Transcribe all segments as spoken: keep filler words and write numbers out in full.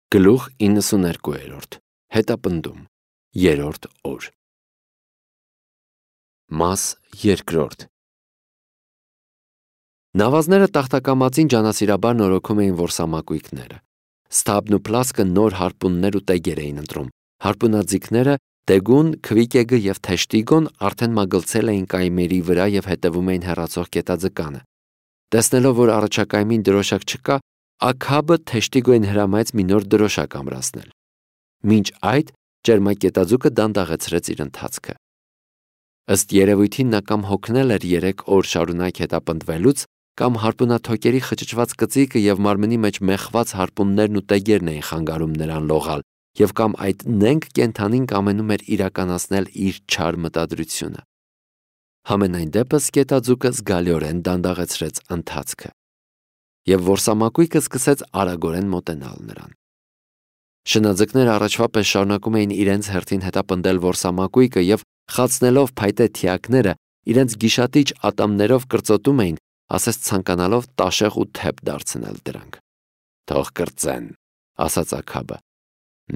Գլուխ իննսուներկու Հետապնդում Երրորդ օր Մաս երկրորդ Նավազները տախտակամածին ջանասիրաբար նորոգում էին որսամակույկները։ Ստաբն ու Պլասկը նոր հարպուններ ու տեգեր էին ընտրում։ Հարպունաձիգները Տեգուն, Քվիկեգը և Թեշտիգոն արդեն մագլցել էին կայմերի վրա և հետևում էին հեռացող կետաձկանը։ Տեսնելով, որ առաջակայմին դրոշակ չկա, Աքաբը Թեշտիգոյին հրամայեց մի նոր դրոշակ ամրացնել։ Մինչ այդ ճերմակետաձուկը դանդաղեցրեց իր ընթացքը։ Ըստ երևույթին նա կամ հոգնել էր երեք օր շարունակ հետապնդվելուց, կամ հարպունաթոկերի խճճված կծիկը և մարմնի մեջ մեխված հարպուններն ու տեգերն էին խանգարում նրան լողալ, և կամ այդ նենգ կենդանին կամենում էր իրականացնել իր չար մտադրությունը։ Համենայն դեպս կետաձուկը զգալիորեն դանդաղեցրեց ընթացքը, և որսամակույկը սկսեց արագորեն մոտենալ նրան։ Շնաձկները առաջվա պես շարունակում էին իրենց հերթին հետապնդել որսամակույկը և խացնելով փայտե թիակները իրենց գիշատիչ ատամներով կրծոտում էին, ասես ցանկանալով տաշեղ ու թեփ դարձնել դրանք։ «Թող կրծեն», ասաց Աքաբը։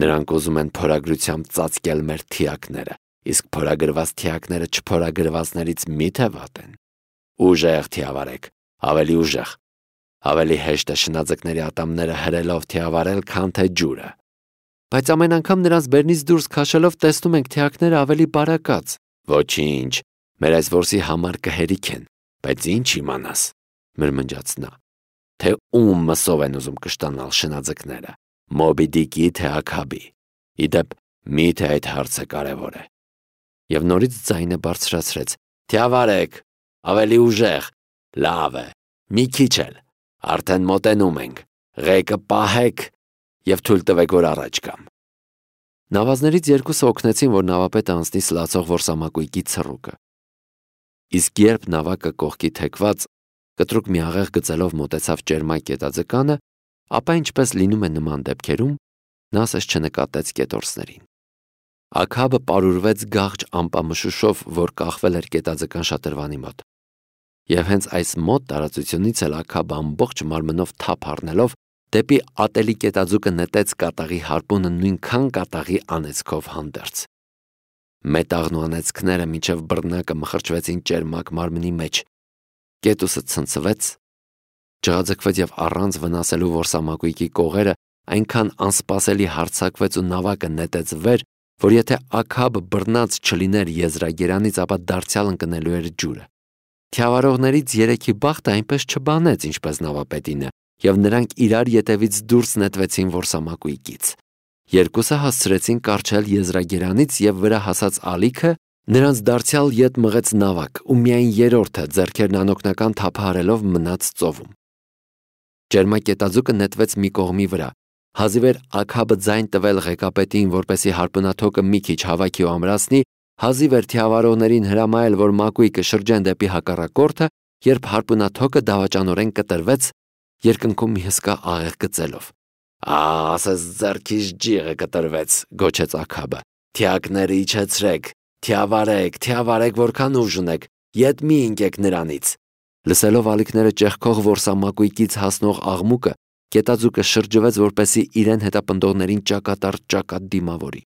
«Նրանք ուզում են փորագրությամբ ծածկել մեր թիակները, իսկ փորագրված թիակները չփորագրվածներից մի՞թե վատ են։ Ուժեղ թիավարեք, ավելի ուժեղ։ Ավելի հեշտ է շնաձկների ատամները հրելով թիավարել, քան թե ջուրը։ Բայց ամեն անգամ նրանց բերնից դուրս քաշելով տեսնում ենք թիակները ավելի բարակած։ Ոչինչ, մեր այս որսի համար կհերիք են, բայց ինչ իմանաս, մրմնջաց նա, թե ում մսով են ուզում կշտանալ շնաձկները, Մոբի Դիկի թե Աքաբի։ Իդեպ, միթե այդ հարցը կարևոր է։ Եվ նորից ձայնը բարձրացրեց. Թիավարեք, ավելի ուժեղ, լավ է, մի քիչ էլ, արդեն մոտենում ենք, ղեկը պահեք և թույլ տվեք, որ առաջ գամ։ Նավազներից երկուսը օգնեցին, որ նավապետը անցնի սլացող որսամակույկի ցռուկը։ Իսկ երբ նավակը կողքի թեքված, կտրուկ մի աղեղ գծելով մոտեցավ ճերմակ կետաձկանը, ապա ինչպես լինում է նման դեպքերում, նա ասես չնկատեց կետորսներին։ Աքաբը պարուրվեց գաղջ ամպամշուշով, որ կախվել էր կետաձկան շատրվանի մոտ։ Եվ հենց այս մոտ տարածությունից էլ Աքաբը ամբողջ մարմնով թափ առնելով դեպի ատելի կետաձուկը նետեց կատաղի հարպունը նույնքան կատաղի անեծքով հանդերձ։ Մետաղն ու անեծքները մինչև բռնակը մխրճվեցին ճերմակ մարմնի մեջ։ Կետուսը ցնցվեց, ջղաձգվեց և առանց վնասելու որսամակույկի կողերը այնքան անսպասելի հարձակվեց ու նավակը նետեց վեր, որ եթե Աքաբը բռնած չլիներ եզրագերանից, ապա դարձյալ ընկնելու էր ջուրը։ Թիավարողներից երեքի բախտը այնպես չբանեց, ինչպես նավապետինը, և նրանք իրար ետևից դուրս նետվեցին որսամակույկից։ Երկուսը հասցրեցին կառչել եզրագերանից և վրա հասած ալիքը նրանց դարձյալ ետ մղեց նավակ, ու միայն երրորդը ձեռքերն անօգնական թափահարելով մնաց ծովում։ Ճերմակետաձուկը նետվեց մի կողմի վրա։ Հազիվ էր Աքաբը ձայն տվել ղեկապետին, որպեսզի հարպունաթոկը մի քիչ հավաքի ու ամրացնի, հազիվ էր թիավարողներին հրամայել, որ մակույկը շրջեն դեպի հակառակորդը, երբ հարպունաթոկը դավաճանորեն կտրվեց, երկնքում մի հսկա աղեղ գծելով։ «Ասես ձեռքիս ջիղը կտրվեց», գոչեց Աքաբը։ «Թիակները իջեցրեք, թիավարեք, թիավարեք, որքան ուժ ունեք, ետ մի ընկեք նրանից»։ Լսելով ալիքները ճեղքող որսամակույկից հասնող աղմուկը, կետաձուկը շրջվեց, որպեսզի իրեն հետապնդողներին ճակատառ ճակատ դիմավորի։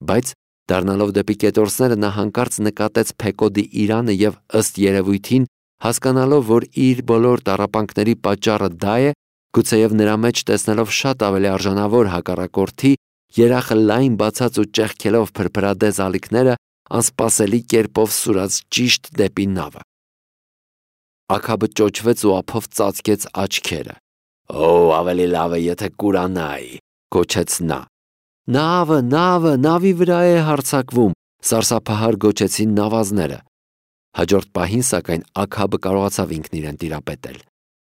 Բայց դառնալով դեպի կետորսները նա հանկարծ նկատեց Փեկոդի իրանը և ըստ երևույթին, հասկանալով, որ իր բոլոր տառապանքների պատճառը դա է, գուցեև նրա մեջ տեսնելով շատ ավելի արժանավոր հակառակորդի, երախը լայն բացած ու ճեղքելով փրփրադես ալիքները, անսպասելի կերպով սուրաց ճիշտ դեպի նավը։ Աքաբը ճոճվեց ու ափով ծածկեց աչքերը։ «Օ, ավելի լավ է, եթե կուրանայի», գոչեց նա։ «Նավը, նավը, նավի վրա է հարձակվում», սարսափահար գոչեցին նավազները։ Հաջորդ պահին, սակայն, Աքաբը կարողացավ ինքն իրեն տիրապետել։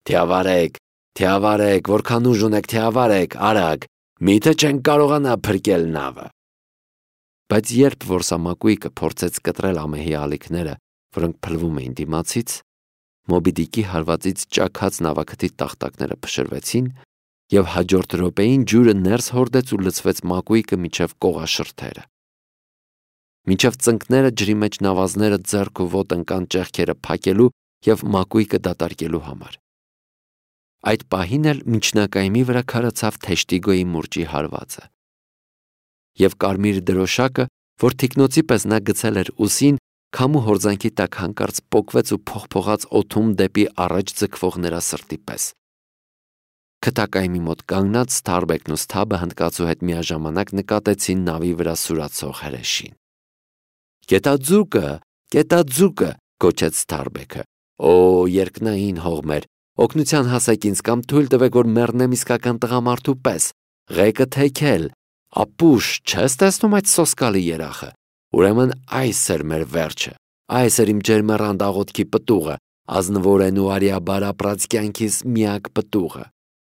«Թիավարեք, թիավարեք, որքան ուժ ունեք, թիավարեք, արագ, միթե չենք կարողանա փրկել նավը»։ Բայց երբ որսամակույկը փորձեց կտրել ամեհի ալիքները, որոնք փլվում էին դիմացից, Մոբի Դիկի հարվածից ճաքած նավակթի տախտակները փշրվեցին, և հաջորդ րոպեին ջուրը ներս հորդեց ու լցվեց մակույկը մինչև կողաշրթերը։ Մինչև ծնկները ջրի մեջ նավազները ձեռք ու ոտ ընկան ճեղքերը փակելու և մակույկը դատարկելու համար։ Այդ պահին էլ միջնակայմի վրա քարացավ Թեշտիգոյի մուրճի հարվածը։ Եվ կարմիր դրոշակը, որ թիկնոցի պես նա գցել էր ուսին, քամու հորձանքի տակ հանկարծ պոկվեց ու փողփողաց օդում դեպի առաջ ձգվող նրա սրտի պես։ Քթակայմի մոտ կանգնած Սթարբեկն ու Սթաբը հնդկացու հետ միաժամանակ նկատեցին նավի վրա սուրացող հրեշին։ «Կետաձուկը, կետաձուկը», գոչեց Սթարբեկը։ «Օ, երկնային հողմեր, օգնության հասեք ինձ կամ թույլ տվեք, որ մեռնեմ իսկական տղամարդու պես, ղեկը թեքել, ապուշ, չես տեսնում այդ սոսկալի երախը։ Ուրեմն այս էր մեր վերջը, այս էր իմ ջերմեռանդ աղոթքի պտուղը, ազնվորեն ու արիաբարապրած կյանքիս միակ պտուղը։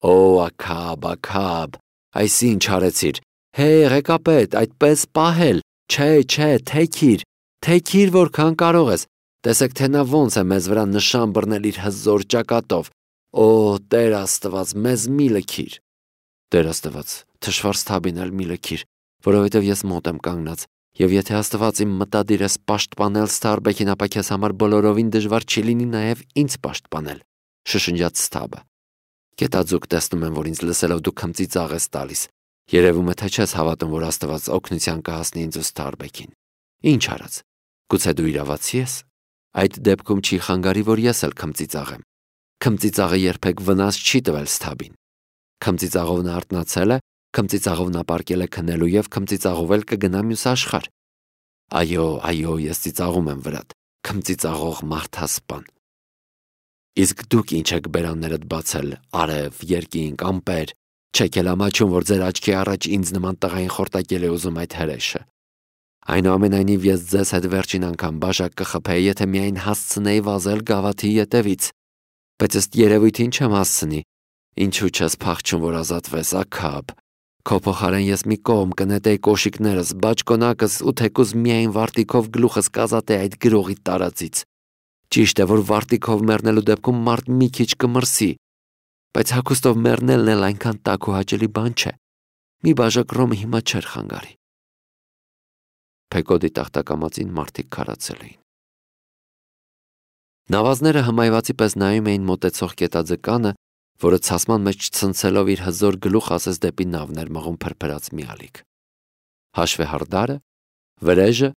Օ, Աքաբ, Աքաբ, այս ինչ արեցիր, հե, ղեկապետ, այդպես պահել, չէ, չէ, թեքիր, թեքիր որքան կարող ես, տեսեք, թե նա ոնց է մեզ վրա նշան բռնել իր հզոր ճակատով, օ, Տեր Աստված, մեզ մի լքիր։ Տեր Աստված, թշվառ Սթաբին էլ մի լքիր, որովհետև ես մոտ եմ կանգնած, եւ եթե Աստված իմ մտադիր ես պաշտպանել Սթարբեկին, ապա քեզ համար բոլորովին դժվար չի լինի նաեւ ինձ պաշտպանել, շշնջաց Սթաբը։ Կետաձուկ, տեսնում եմ, որ ինձ լսելով դու քմծիծաղ ես տալիս։ Երևում է, թե չես հավատում, որ Աստված օգնության կհասնի ինձ ու Սթարբեկին։ Ինչ արած։ Գուցե դու իրավացի ես։ Այդ դեպքում չի խանգարի, որ ես էլ քմծիծաղեմ։ Քմծիծաղը երբեք վնաս չի տվել Սթաբին։ Քմծիծաղով նա արթնացել է, քմծիծաղով նա պարկել է քնելու եւ քմծիծաղով էլ կգնա մյուս աշխարհ։ Այո, այո, ես ծիծաղում եմ վրադ, քմծիծաղող մարդասպան։ Իսկ դուք ինչ եք բերաններդ բացել, արև, երկինք, ամպեր, չեք էլ ամաչում, որ ձեր աչքի առաջ ինձ նման տղային խորտակել է ուզում այդ հրեշը։ Այնուամենայնիվ ես ձեզ հետ վերջին անգամ բաժակ կխփեի, եթե միայն հասցնեի վազել գավաթի ետևից։ Բայց ըստ երևույթին չեմ հասցնի։ Ինչու չես փախչում, որ ազատվես, Աքաբ։ Քո փոխարեն ես մի կողմ կնետեի կոշիկներս, բաճկոնակս ու թեկուզ միայն վարտիքով գլուխս կազատեի այդ գրողի տարածից։ Ճիշտ է, որ վարտիքով մեռնելու դեպքում մարդ մի քիչ կմրսի, բայց հագուստով մեռնելն էլ այնքան տաք ու հաճելի բան չէ։ Մի բաժակ ռոմը հիմա չէր խանգարի։ Փեկոդի տախտակամածին մարդիկ քարացել էին։ Նավազները հմայվածի պես նայում էին մոտեցող կետաձկանը, որը ցասման մեջ ցնցելով իր հզոր գլուխ ասես դեպի նավն էր մղում փրփրած մի ալիք։ Հաշվեհարդարը, վրեժը,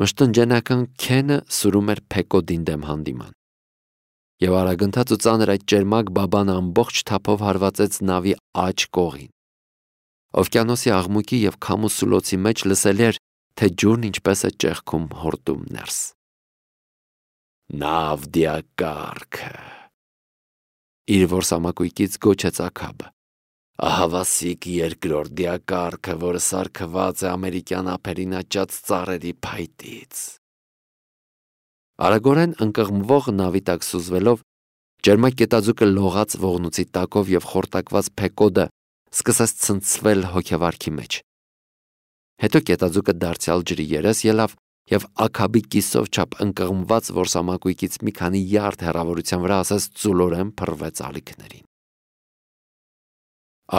մշտնջենական քենը սուրում էր Փեկոդին դեմ հանդիման։ Եվ արագընթաց ու ծանր այդ ճերմակ բաբանը ամբողջ թափով հարվածեց նավի աջ կողին։ Օվկիանոսի աղմուկի եւ քամու սուլոցի մեջ լսելի էր, թե ջուրն ինչպես է ճեղքում հորդում ներս։ Նավ դիակառքը։ Իր որսամակույկից գոչեց Աքաբը։ Ահավասիկ երկրորդ դիակառքը, որը սարքված է ամերիկյան ափերին աճած ծառերի փայտից։ Արագորեն ընկղմվող նավի տակ սուզվելով, ջերմակ կետաձուկը լողաց ողնուցի տակով եւ խորտակված Փեկոդը սկսեց ցնցվել հոգեվարքի մեջ։ Հետո կետաձուկը դարձյալ ջրի երես ելավ եւ Աքաբի կիսով չափ ընկղմված որսամակույկից մի քանի յարդ հեռավորության վրա ասես ծուլորեն փռվեց ալիքներին։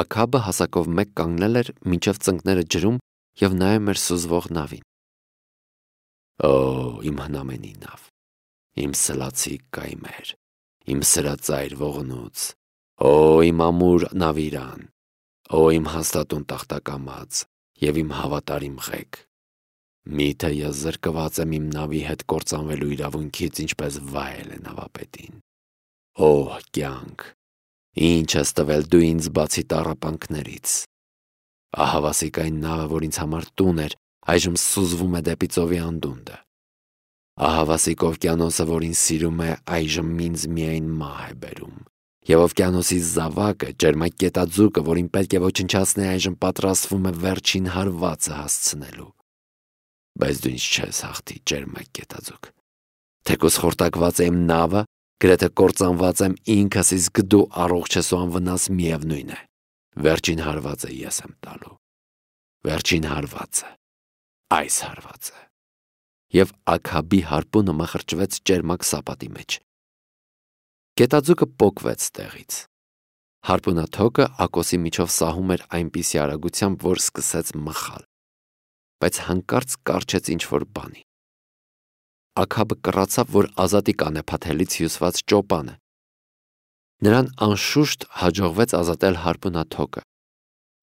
Աքաբը հասակով մեկ կանգնել էր, մինչև ծնկները ջրում եւ նայում էր սուզվող նավին։ Օ, իմ հնամենի նավ, իմ սլացի կայմեր, իմ սրածայր ողնուց, օ, իմ ամուր նավիրան, օ, իմ հաստատուն տախտակամած եւ իմ հավատարիմ ղեկ։ Միթե ես զրկված եմ իմ նավի հետ կործանվելու իրավունքից, ինչպես վայել է նավապետին։ Օ, կյանք, ինչ ես տվել դու ինձ բացի տառապանքներից։ Ահավասիկ այն նավը, որ ինձ համար տուն էր, այժմ սուզվում է դեպի ծովի անդունդը։ Ահավասիկ օվկիանոսը, որ ինձ սիրում է, այժմ ինձ միայն մահ է բերում։ Եվ օվկիանոսի զավակը, ջերմակ կետաձուկը, որին պետք է ոչնչացնի, այժմ պատրաստվում է վերջին հարվածը հասցնելու։ Բայց դու ինձ չես հաղթի, ջերմակ կետաձուկ։ Թեկուզ խորտակված է իմ նավը, գրեթե կործանված եմ ինքս, իսկ դու առողջ ես ու անվնաս միևնույն է։ Վերջին հարվածը ես եմ տալու։ Վերջին հարվածը, այս հարվածը։ Եվ Աքաբի հարպունը մխրճվեց ճերմակ սապատի մեջ։ Կետաձուկը պոկվեց տեղից։ Հարպունաթոկը ակոսի միջով սահում էր այնպիսի արագությամբ, որ սկսեց մխալ, բայց հանկարծ կառչեց ինչ-որ բանի։ Աքաբը կռացավ, որ ազատի կանեփաթելից հյուսված ճոպան է։ Նրան անշուշտ հաջողվեց ազատել հարպունաթոկը,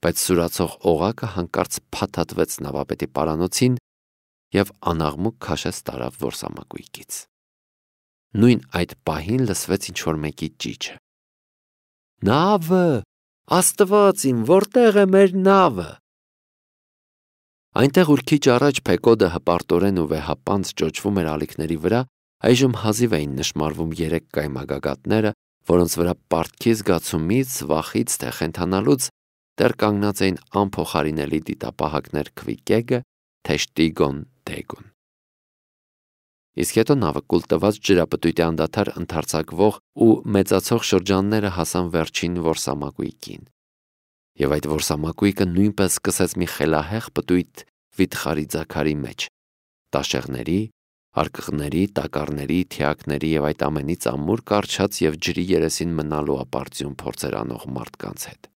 բայց սուրացող օղակը հանկարծ փաթաթվեց նավապետի պարանոցին և անաղմուկ քաշեց տարավ որսամակույկից։ Նույն այդ պահին լսվեց ինչ-որ մեկի ճիչը. «Նավը, Աստված իմ, որտեղ է մեր նավը»։ Այնտեղ, ուր քիչ առաջ Փեկոդը հպարտորեն ու վեհապանծ ճոճվում էր ալիքների վրա, այժմ հազիվ էին նշմարվում երեք կայմագագաթները, որոնց վրա պարտքի զգացումից, վախից, թե խենթանալուց դեռ կանգնած էին անփոխարինելի դիտապահակներ Քվիկեգը, Թեշտիգոն, Դեգոն։ Իսկ հետո նավը կուլ տված ջրապտույտի անդադար ընդարձակվող ու մեծացող շրջանները հասան վերջին որսամակույկին, և այդ որսամակույկը նույնպես սկսեց մի խելահեղ պտույտ վիթխարի ձագարի մեջ, տաշեղների, արկղների, տակառների, թիակների և այդ ամենից ամուր կառչած և ջրի երեսին մնալու ապարդյուն փորձեր անող մարդկանց հետ։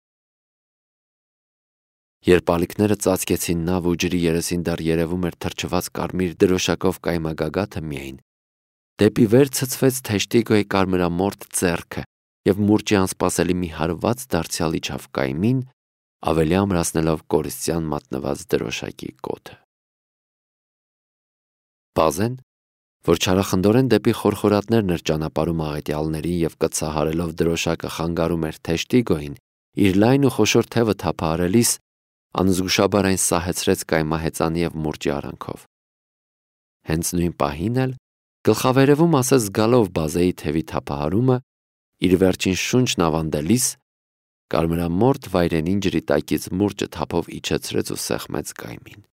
Երբ ալիքները ծածկեցին նավը ու ջրի երեսին դեռ երևում էր թրջված կարմիր դրոշակով կայմագագաթը միայն, դեպի վեր ցցվեց Թեշտիգոյի կարմրամորթ ձեռքը և մուրճի անսպասելի մի հարված դարձյալ իջավ կայմին, ավելի ամրացնելով կորիստյան մատնված դրոշակի կոթը։ Պազեն, որ չարախնդորեն դեպի խորխորատներն էր ճանապարհում աղետյալներին և կծահարելով դրոշակը խանգարում էր Թեշտիգոյին, իր լայն ու խոշոր թևը թափահարելիս, անզգուշաբար այն սահեցրեց կայմահեծանի և մուրճի արանքով։ Հենց նույն պահին էլ, գլխավերևում ասես զգալով բազեի թևի թափահարումը, իր վերջին շունչն ավանդելիս, կարմրամորթ վայրենին ջրի տակից մուրճը թափով իջեցրեց ու սեղմեց կայմին։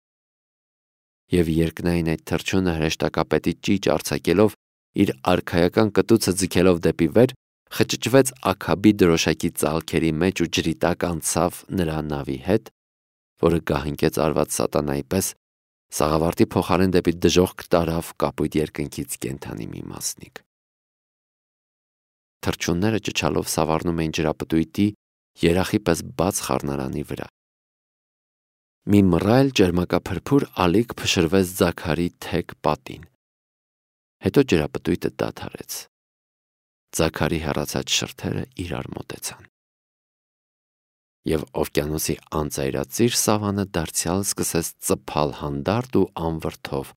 Եվ երկնային այդ թռչյունը հրեշտակապետի ճիճ արձակելով, իր արքայական կտուցը ձգելով դեպի վեր, խճճվեց աքաբի դրոշակի ծալքերի մեջ ու ջրի տակ անցավ նրա նավի հետ, որը գահընկեց արված սատանայի պես, սաղավարտի փոխարեն դեպի դժոխք տարավ կապույտ երկնքից կենդանի մի մասնիկ։ Թռչյունները ճչալով սավառնում էին ջրապտույտի երախի պես բաց խառնարանի վրա։ Մի մռայլ ճերմակափրփուր ալիք փշրվեց ձագարի թեք պատին։ Հետո ջրապտույտը դադարեց։ Ձագարի հեռացած շրթերը իրար մոտեցան։ Եվ օվկիանոսի անծայրածիր սավանը դարձյալ սկսեց ծփալ հանդարտ ու անվրդով,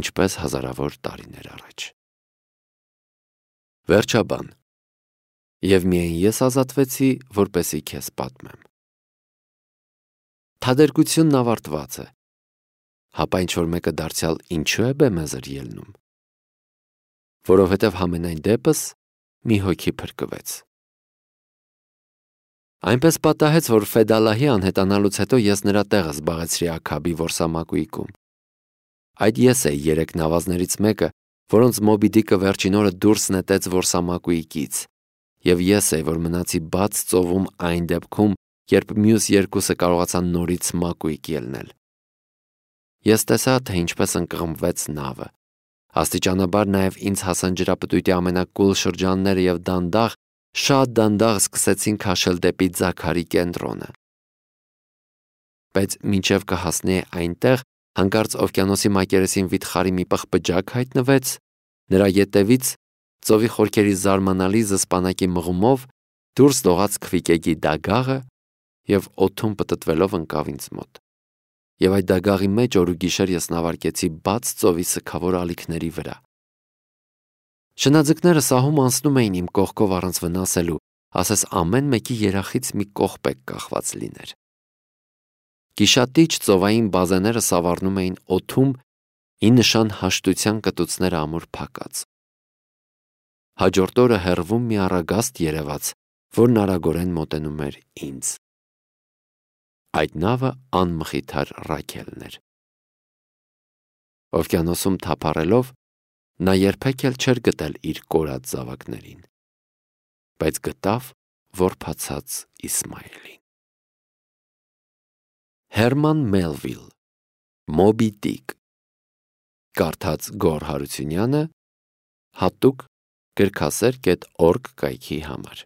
ինչպես հազարավոր տարիներ առաջ։ Վերջաբան։ Եվ միայն ես ազատվեցի, որպեսզի քեզ պատմեմ։ Թադերգությունն ավարտված է, հապա ինչ-որ մեկը դարձյալ ինչու է բեմեզր ելնում։ Որովհետև համենայն դեպս մի հոգի փրկվեց։ Այնպես պատահեց, որ Ֆեդալահի անհետանալուց հետո ես նրա տեղը զբաղեցրի Աքաբի որսամակույկում։ Այդ ես էի երեք նավազներից մեկը, որոնց Մոբի Դիկը վերջին օրը դուրս նետեց որսամակույկից, և ես էի, որ մնացի բաց ծովում այն դեպքում, երբ մյուս երկուսը կարողացան նորից մակույկ ելնել։ Ես տեսա, թե ինչպես ընկղմվեց նավը։ Աստիճանաբար նաև ինձ հասան ջրապտույտի ամենակուլ շրջանները և դանդաղ, շատ դանդաղ սկսեցին քաշել դեպի ձագարի կենտրոնը։ Բայց մինչև կհասնեի այնտեղ, հանկարծ օվկիանոսի մակերեսին վիթխարի մի պղպջակ հայտնվեց, նրա ետևից ծովի խորքերի զարմանալի զսպանակի մղումով դուրս լողաց Քվիկեգի դագաղը և օդում պտտվելով ընկավ ինձ մոտ։ Եվ այդ դագաղի մեջ օր ու գիշեր ես նավարկեցի բաց ծովի սգավոր ալիքների վրա։ Շնաձկները սահում անցնում էին իմ կողքով առանց վնասելու, ասես ամեն մեկի երախից մի կողպեկ կախված լիներ։ Գիշատիչ ծովային բազեները սավառնում էին օդում ի նշան հաշտության կտուցները ամուր փակած։ Հաջորդ օրը հեռվում մի առագաստ երևաց, որն արագորեն մոտենում էր ինձ։ Այդ նավը անմխիթար Ռաքելն էր։ Օվկիանոսում թափառելով, նա երբեք էլ չէր գտել իր կորած զավակներին, բայց գտավ որբացած Իսմայելին։ Հերման Մելվիլ, Մոբի Դիկ, կարդաց Գոռ Հարությունյանը, հատուկ գրքասեր կետ օրգ կայքի համար։